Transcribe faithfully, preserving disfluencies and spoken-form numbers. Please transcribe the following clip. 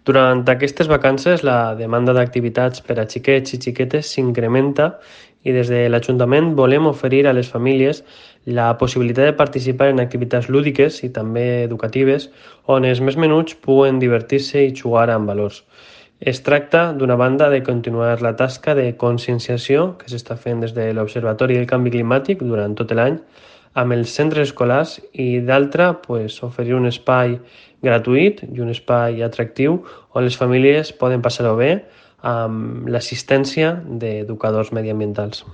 Durant aquestes vacances, la demanda d'activitats per a xiquets i xiquetes s'incrementa i des de l'Ajuntament volem oferir a les famílies la possibilitat de participar en activitats lúdiques i també educatives on els més menuts puguen divertir-se i jugar amb valors. Es tracta, d'una banda, de continuar la tasca de conscienciació que s'està fent des de l'Observatori del Canvi Climàtic durant tot l'any amb els centres escolars i d'altra, pues, oferir un espai gratuït i un espai atractiu on les famílies poden passar-ho bé amb l'assistència d'educadors mediambientals.